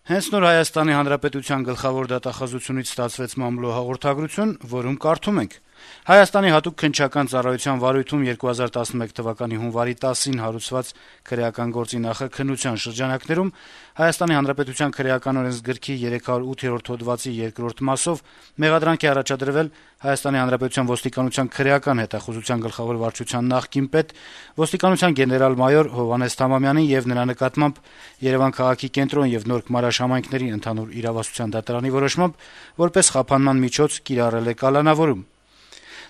Հենց նոր Հայաստանի Հանրապետության գլխավոր դատախազությունից ստացվեց մամլո հաղորդագրություն, որում կարդում ենք. - «Հայաստանի հատուկ քննչական ծառայության վարույթում 2011 թվականի հունվարի 10-ին հարուցված քրեական գործի նախաքննության շրջանակներում Հայաստանի Հանրապետության քրեական օրենսգրքի 308-րդ հոդվածի 2-րդ մասով մեղադրանք է առաջադրվել Հայաստանի Հանրապետության ոստիկանության քրեական հետախուզության գլխավոր վարչության նախկին պետ, ոստիկանության գեներալ-մայոր Հովհաննես Թամամյանին եւ նրա նկատմամբ Երեւան քաղաքի կենտրոն եւ Նոր Գմարաշ համայնքների ընդհանուր իրավասության դատարանի որոշմամբ որպես խափանման միջոց կիրառել է կալանավորում։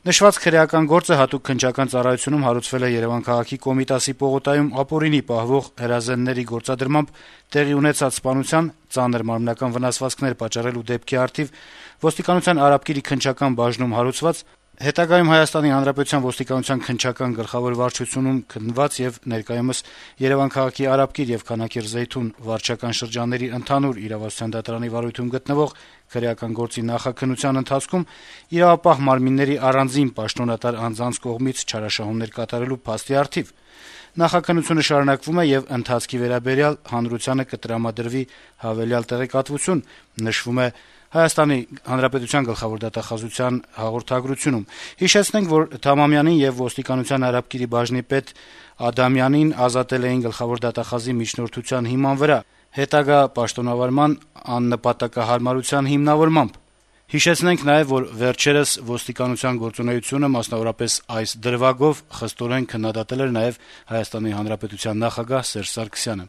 Նշված քրեական գործը հատուկ քննչական ծառայությունում հարուցվել է Երեւան քաղաքի Կոմիտասի պողոտայում ապօրինի պահվող հրազենների գործադրմամբ տեղի ունեցած սպանության, ծանր մարմնական վնասվածքներ պատճառելու դեպքի առթիվ ոստիկանության Արաբկիրի քննչական բաժնում հարուցված, հետագայում Հայաստանի Հանրապետության ոստիկանության քննչական գլխավոր վարչությունում քննված եւ ներկայումս Երեւան քաղաքի Արաբկիր եւ Քանաքեռ Զեյթուն վարչական շրջանների ընդհանուր իրավասության դատարանի վարույթում գտնվող քրեական գործի նախաքննության ընթացքում իրավապահ մարմինների առանձին պաշտոնատար անձանց կողմից չարաշահումներ կատարելու փաստի առթիվ։ Նախաքննությունը շարունակվում է եւ ընթացքի վերաբերյալ հանրությանը կտրամադրվի հավելյալ տեղեկատվություն, նշվում է Հայաստանի Հանրապետության գլխավոր դատախազության հաղորդագրությունում։ Հիշեցնենք, որ Թամամյանին եւ ոստիկանության Արաբկիրի բաժնի պետ Ադամյանին ազատել էին գլխավոր դատախազի միջնորդության հիման վրա, հետագա պաշտոնավարման աննպատակահարմարության հիմնավորմամբ։ Հիշեցնենք նաեւ, որ վերջերս ոստիկանության գործունեությունը, մասնավորապես այս դրվագով, խստորեն քննադատել էր նաեւ Հայաստանի Հանրապետության նախագահ Սերժ Սարգսյանը։